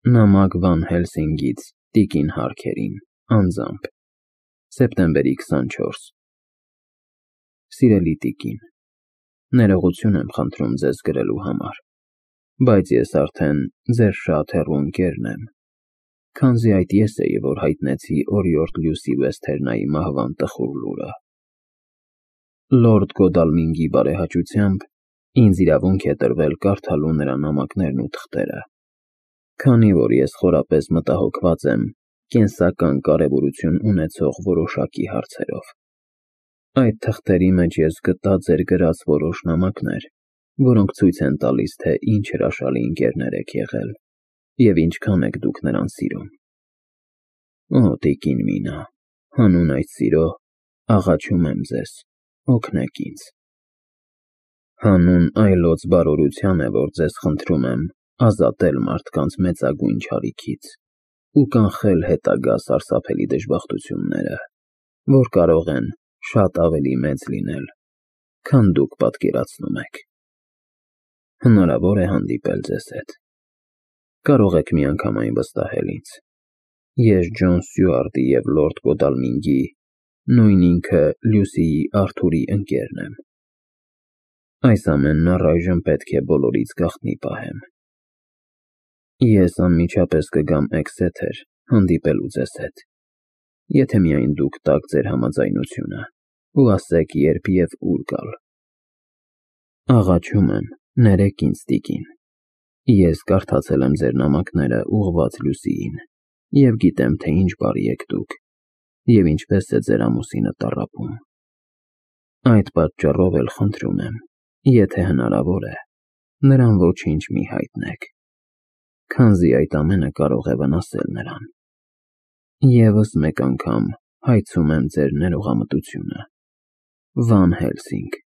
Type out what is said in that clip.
Նամակ Վան Հելսինգից տիկին Հարքերին, անձամբ, սեպտեմբերի 24 Սիրելի տիկին, ներողություն եմ խնդրում ձեզ գրելու համար, բայց ես արդեն ձեր շատ հեռու ընկերն եմ, քանզի այդ ես էի, որ հայտնեցի օրիորդ Լյուսի Վեսթերնայի մահվան տխուր լուրը։ Լորդ Գոդալմինգի բարեհաճությամբ ինձ իրավունք է տրվել կարդալու նրա նամակներն ու թղթերը, քանի որ ես խորապես մտահոգված եմ կենսական կարևորություն ունեցող որոշակի հարցերով։ Այդ թղթերի մեջ ես գտա ձեր գրած որոշ նամակներ, որոնք ցույց են տալիս, թե ինչ հրաշալի ընկերներ եք եղել և ինչքան եք դուք նրան սիրում։ Օ, տիկին Մինա, հանուն այդ սիրո աղաչում եմ ձեզ, օգնեք ինձ։ Հանուն այլոց բարօրության է, որ ձեզ խնդրում եմ ազատել մարդկանց մեծագույն չարիքից ու կանխել հետագա սարսափելի դժբախտությունները, որ կարող են շատ ավելի մեծ լինել, քան դուք պատկերացնում եք։ Հնարավոր է հանդիպել ձեզ հետ։ Կարող եք միանգամայն վստահել ինձ։ Ես Ջոն Սյուարտի և լորդ Գոդալմինգի, նույն ինքը Լյուսիի Արթուրի ընկերն եմ։ Այս ամենն առայժմ պետք է բոլորից գաղտնի պահեմ։ Ես անմիջապես կգամ Էքսեթեր հանդիպելու ձեզ հետ, եթե միայն դուք տաք ձեր համաձայնությունը ու ասեք երբ և ուր գալ։ Աղաչում եմ, ներեք ինձ, տիկին։ Ես կարդացել եմ ձեր նամակները ուղղված Լյուսիին և գիտեմ, թե ինչ բարի եք դուք և ինչպես է ձեր ամուսինը տառապում։ Այդ պատճառով էլ խնդրում եմ, եթե հնարավոր է, նրան ոչինչ մի հայտնեք, քանզի այդ ամենը կարող է վնասել նրան։ Եվս մեկ անգամ հայցում եմ ձեր ներողամտությունը։ Վան Հելսինգ։